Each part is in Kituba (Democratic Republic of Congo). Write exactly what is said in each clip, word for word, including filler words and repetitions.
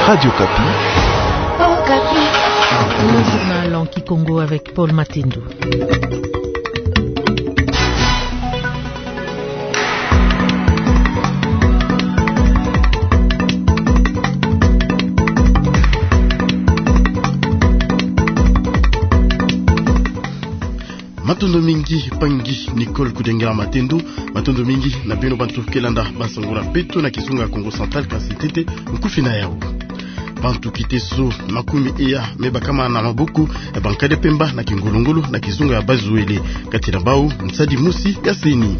Radio Okapi. Okapi. Le journal en kikongo avec Paul Matendo. Matondo mingi, mpangi Nicole Kudengela Matendo. Matondo mingi na beno bantu ke landa bansangu na beto na kizunga ya Kongo Central, kansi ntete nkufi na yau. Bantu kiteso makumi eya me bakama na maboko ya bankadi ya mpemba na kingolongolo na kizunga ya Bas-Uele, kati na bau nsadi mosi ya CENI.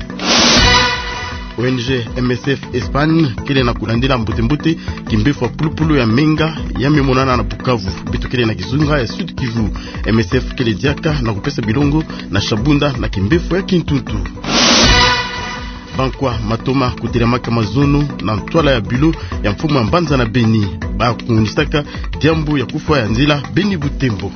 O N G M S F Espagne kele na kulandila mbote-mbote kimbefu ya pulupulu ya menga ya me monana na Bukavu. Beto kele na kizunga ya Sud-Kivu. M S F kele diaka na kupesa bilongo na Shabunda na kimbefu ya Kintuntu. Bankwa matoma kutelamaka mazono na ntwala ya bilo ya mfumu ya mbanza na Beni. Ba kunisaka diambu ya kufwa ya nzila Beni-Butembo.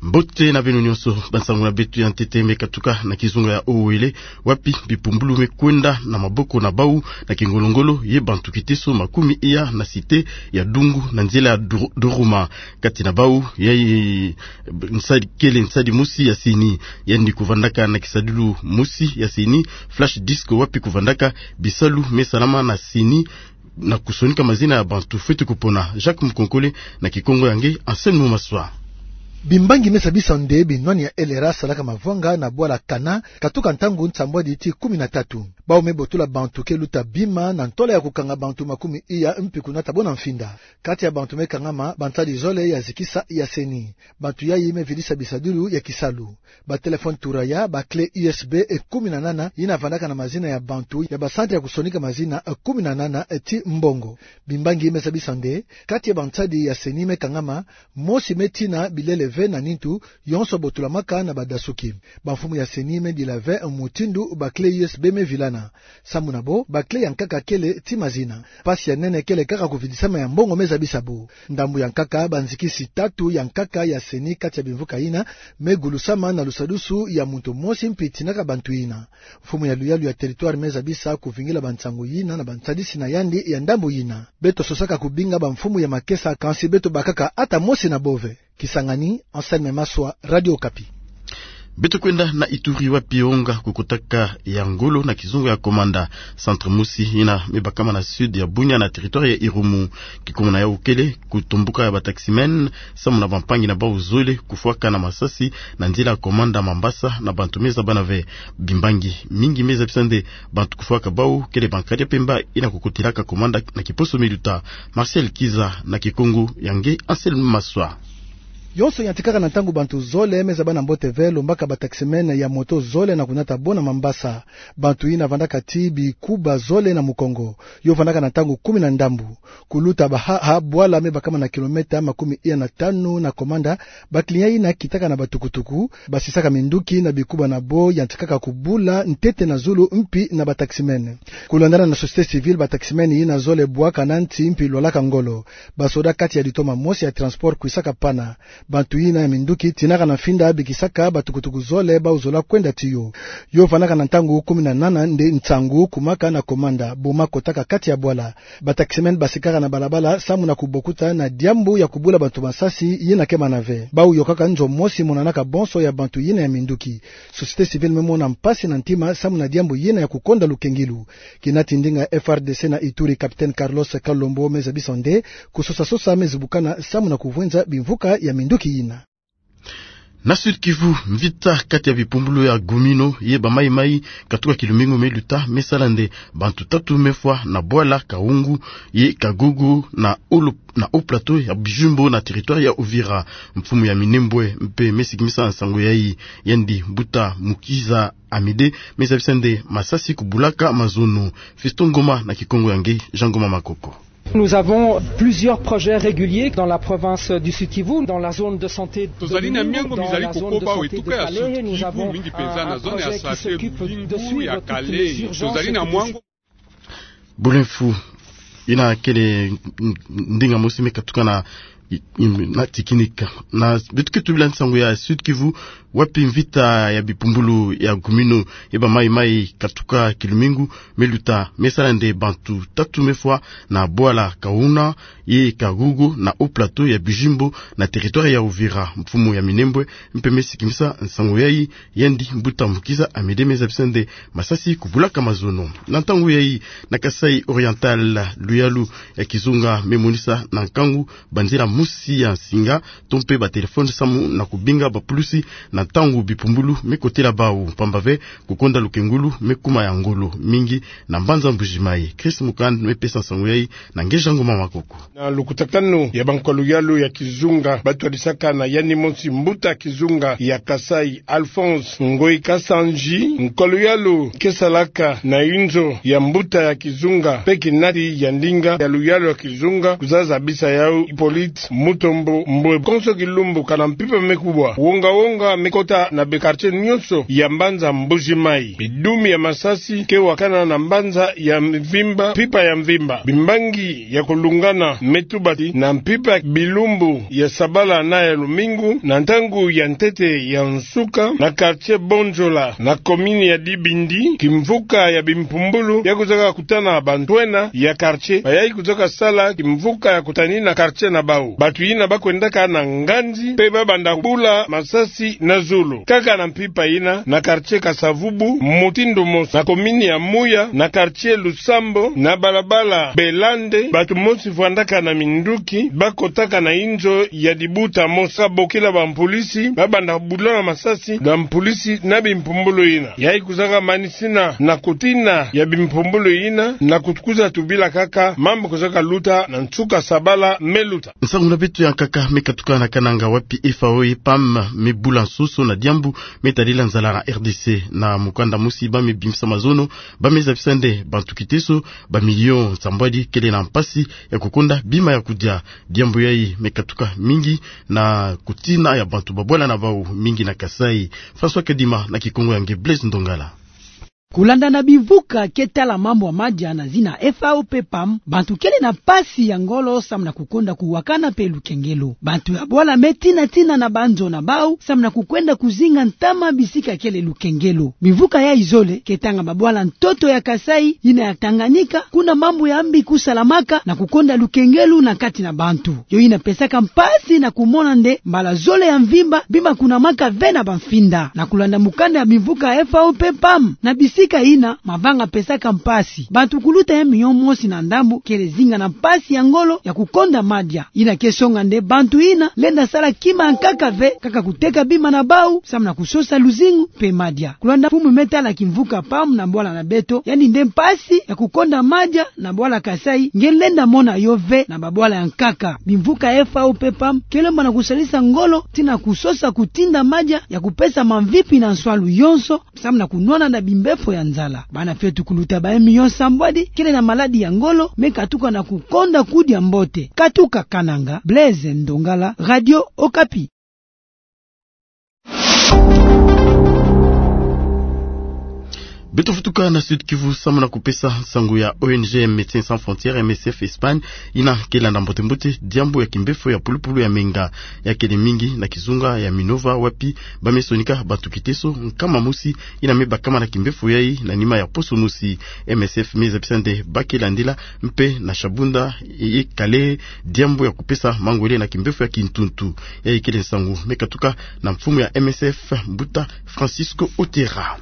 Mbote na beno nyonso, bansangu na beto ya ntete me katuka na kizunga ya Uele, wapi bipumbulu me kwenda na maboko na bau na kingolongolo ye bantu kiteso makumi eya na cité ya Dungu na nzila ya Dur-, Duruma. Kati na bau ya, eh, nsadi kele nsadi mosi ya CENI, yandi kuvandaka na kisadulu mosi ya CENI, flash disk, wapi kuvandaka bisalu me salama na CENI na kusonika mazina ya bantu fweti kupona. Jacques Mukonkole na kikongo ya nge Anselme Maswa. Bimbangi me sabisa nde binwani ya L R A salaka mavwanga na bwala Kana, katuka ntangu nsambwadi ti kumi na tatu. Bau me botola bantu ke luta bima na ntwala ya kukanga bantu makumi eya mpi kunata bo na mfinda. Kati ya bantu me kangama, bansadi zole ya zikisa ya CENI. Bantu yayi me vidisa bisadulu ya kisalu. Ba téléphone turaya, ba clé U S B e kumi na nana yina vandaka na mazina ya bantu ya ba centre ya kusonika mazina e kumi na nana ti mbongo. Bimbangi me sabisa nde, kati ya bansadi ya CENI me kangama, mosi me tina bilele ve na nintu, yonso botolamaka na badasuki. Bamfumu ya CENI me dila ve mutindu ba clé U S B me vilana. Samu na bo, ba clé ya nkaka kele ti mazina. Mpasi ya nene kele kaka kuvidisama ya mbongo me zabisa bo. Ndambu ya nkaka, banzikisi tatu ya nkaka ya CENI kati ya bimvuka yina me gulusama na lusadusu ya muntu mosi mpi tinaka bantu yina. Mfumu ya luyalu ya territoire me zabisa kuvingila bansangu yina na bansadisi na yandi ya ndambu yina. Beto sosaka kubinga bamfumu ya makesa, kansi beto bakaka ata mosi na bo ve. Kisangani, Anselme Maswa, Radio Okapi. Beto kwenda na Ituri, wapi onga kukotaka ya ngolo na kizunga ya Komanda. Centre mosi yina me bakama na sud ya Bunia na territoire ya Irumu. Kikuma na yau kele kutomboka ya bataximen samu na bampangi na bau zole kufwaka na masasi na nzila ya Komanda Mambasa na bantu me zabana ve. Bimbangi mingi me zabisa nde bantu kufwaka bau kele bankadi ya mpemba yina kukotelaka Komanda na kiposo me luta. Martial Kiza na kikongo ya nge Anselme Maswa. Yonso yantikaka na ntangu bantu zole me zabana mbote ve lombaka bataximen ya moto zole na kunata bo na Mambasa. Bantu yina vandaka ti bikuba zole na mukongo. Yo vandaka na ntangu kumi na ndambu. Kuluta Bahaha, bwala me bakama na kilomètre makumi iya na tanu na Komanda, ba client yina kitaka na batukutuku, basisaka minduki na bikuba na bo yantikaka kubula ntete na zulu mpi na bataximen. Kulandana na société civile, bataximen yina zole bwaka na nti mpi lwalaka ngolo. Basoda kati ya litoma mosi ya transport kwisaka pana. Bantu yina ya minduki tinaka na mfinda bikisaka batukutuku zole bau zola kwenda tiyo. Yo vandaka na ntangu kumi na nana nde nsangu kumaka na Komanda, boma kotaka kati ya bwala. Bataximen basikaka na balabala samu na kubokuta na diambu ya kubula bantu masasi yina kemana ve. Bau yokaka nzo mosi monanaka bonso ya bantu yina ya minduki. Société civile me mona mpasi na ntima samu na diambu yina ya kukonda lukengilu. Kinati ndinga F R D C na Ituri, capitaine Carlos Kalombo, me zabisa nde kusosa-sosa me zibukana samu na kuvwenza bimvuka ya minduki yina. Na Sud-Kivu, mvita kati ya bipumbulu ya Gumino ye ba Mai-Mai katuka kilumingu me luta me sala nde bantu tatu me fwa na bwala Kaungu ye Kagogo na Olo-, na Haut-Plateau ya Bijumbo na territoire ya Uvira. Mfumu ya Minembwe mpe me sikimisa nsangu yayi, yandi Mbuta Mukiza Amede, me zabisa nde masasi kubulaka mazono. Fiston Ngoma na kikongo ya nge Jean Ngoma Makoko. Nous avons plusieurs projets réguliers dans la province du Sud-Kivu, dans la zone de santé de Gumino, dans la zone de santé de Kalehe, nous avons un projet qui s'occupe de suivre toutes les urgences. Tozali na myango mizali kokoba awa etuka ya Sud-Kivu, mingi mpenza na zone ya santé Lulingu ya Kalehe. Tozali na mwango. Bole mfu, yina kele ndinga mosi me katuka na, na technique. Na beto ke tubila nsangu ya Sud-Kivu, wapi mvita ya bipumbulu ya Gumino eba maimai katuka kilumingu meluta, mesala nde bantu tatu mefwa na bwala Kauna, ye Kagogo na Haut-Plateau ya Bijimbo na territoire ya Uvira. Mfumu ya Minembwe mpe mesikimisa nsangu yayi, yandi mbuta Mukiza Amédée mezabisa nde masasi kubulaka mazono. Na ntangu yayi, na Kasaï Oriental, luyalu ya kizunga memonisa na nkangu banzila mosi ya nsinga to mpe batelefone samu na kubinga bapulusi na ntangu bipumbulu mekotela bau, mpamba ve kukonda lukengulu mekuma ya ngolo mingi na mbanza Mbuji-Mayi. Chris Mukand mepesa nsangu yayi na Ngeja Ngoma Makoko. Na lukutakanu ya bankolo-yalu ya kizunga, batwadisaka na yandi mosi mbuta kizunga ya Kasaï, Alphonse Ngoyi Kasanji, nkolo-yalu kesalaka na inzo ya mbuta ya kizunga mpe kinati ya ndinga ya luyalu ya kizunga, kuzaza bisa yau Hippolyte Mutombo Mbwe. Konso kilumbu kana mpimpa mekubwa, wonga-wonga mekota na baquartier nyonso ya mbanza Mbuji-Mayi. Bidumi ya masasi kewakana na mbanza ya mvimba, mpimpa ya mvimba. Bimbangi ya kulungana metubati na mpimpa bilumbu ya sabala na ya lumingu, na ntangu ya ntete ya nsuka, na quartier Bonjola, na commune ya Dibindi, kimvuka ya bimpumbulu, ya kuzaka kutana bantwenia ya quartier, bayayi kuzaka sala kimvuka ya kutanina quartier na bau. Bantu yina bakwendaka na nganzi, mpe babanda bula masasi na zulu. Kaka na mpimpa yina, na quartier Kasavubu, mutindu mosi, na commune ya Muya, na quartier Lusambo, na balabala Belande, bantu mosi vwandaka na minduki, bakotaka na inzo ya dibuta mosi, kabokila bampulisi, babanda bula na masasi na mpulisi na bimpumbulu yina. Yayi kuzaka manisina na kutina ya bimpumbulu yina, na kutukuza tubila kaka mambu kuzaka luta na nsuka sabala meluta. Nsangu na beto ya nkaka mekatuka na Kananga, wapi F A O ye P A M mebula nsoso na diambu metadila nzala na R D C. Na mukanda mosi bamebimisa mazono, bamezabisa nde bantu kiteso bamilio nsambwadi kele na mpasi ya kukonda bima ya kudia. Diambu yayi mekatuka mingi na kutina ya bantu babwala na bau mingi na Kasaï. François Kadima na kikongo ya nge Blaise Ndongala. Kulanda na bimvuka ketala mambu ya madia na zina F A O mpe P A M, bantu kele na mpasi ya ngolo samu na kukonda kuwakana mpe lukengelo. Bantu ya bwala metina-tina na banzo na bau samu na kukwenda kuzinga ntama bisika kele lukengelo. Bimvuka yayi zole ketanga babwala ntoto ya Kasaï, yina ya Tanganyika, kuna mambu ya mbi kusalamaka na kukonda lukengelo na kati na bantu. Yo yina pesaka mpasi na kumona nde mbala zole ya mvimba bima kunamaka ve na bamfinda. Na kulanda mukanda ya bimvuka F A O mpe P A M, na bisika yina mavanga pesaka mpasi, bantu kuluta ya milio mosi na ndambu kele zinga na mpasi ya ngolo ya kukonda madia. Yina kesonga nde bantu yina lenda sala kima ya nkaka ve, kaka kuteka bima na bau samu na kusosa luzingu mpe madia. Kulanda mfumu metala kimvuka P A M na bwala na beto, yandi nde mpasi ya kukonda madia na bwala Kasaï nge lenda mona yo ve na babwala ya nkaka. Bimvuka F A O mpe P A M kele mbo na kusalisa ngolo tii na kusosa kutinda madia ya kupesa mamvipi na nswalu yonso, samu na kunwana na bimbefo ya nzala. Bana fiotu kuluta ba milio nsambwadi kele na maladi ya ngolo mekatuka na kukonda kudia mbote. Katuka Kananga, Blaise Ndongala, Radio Okapi. Beto futuka na Sud-Kivu samu na kupesa nsangu ya O N G Médecins Sans Frontières, M S F, Espagne, yina kelanda mbote-mbote diambu ya kimbefo ya pulupulu ya menga. Ya kele mingi na kizunga ya Minova, wapi bamesonika bantu kiteso nkama mosi yina mebakama na kimbefo yayi na nima ya poso mosi. M S F mezabisa nde bakelandila mpe na Shabunda ye Kalehe diambu ya kupesa mangwele na kimbefo ya kintuntu. Yayi kele nsangu mekatuka na mfumu ya M S F, mbuta Francisco Otera.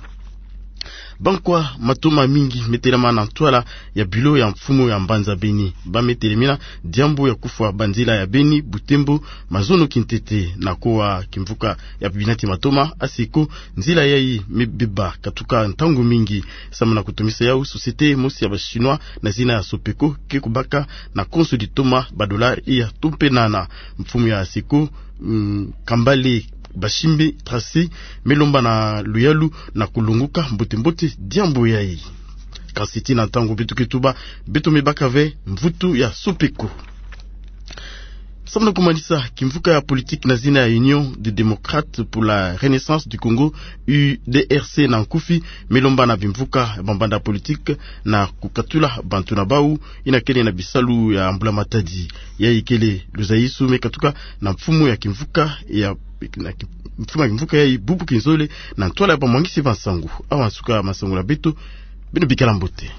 Bankwa matoma mingi metelama na ntwala ya bureau ya mfumu ya mbanza Beni. Bametelemina diambu ya kufwa banzila ya Beni, Butembo, mazono kintete. Na kowa kimvuka ya binati matoma, ASECO, nzila yayi mebeba katuka ntangu mingi. Samu na kutomisa yau, société mosi ya ba Chinois na zina ya Sopeco ke kubaka na konso ditoma ba dollars iya tumpenana. Mfumu ya ASECO, mm, Kambale Bashimbi Tracy, melomba na luyalu na kulonguka mbote-mbote diambu yayi. Kansi tii na ntangu beto ke tuba, beto mebaka ve mvutu ya Sopeco. Samu na kumanisa, kimvuka ya politiki na zina ya Union des Démocrates pour la Renaissance du Congo, U D R C na nkufi, me lomba na bimvuka bambanda politiki na kukatula bantu na bau, ina kele na bisalu ya mbula-matadi. Yayi kele luzaisu me katuka na mfumu ya kimvuka ya, na ki-, mfumu ya kimvuka yayi, Bubu Kinzole, na ntwala ya bamwangisi ba nsangu. Awa nsuka masangu na beto, beno bikala mbote.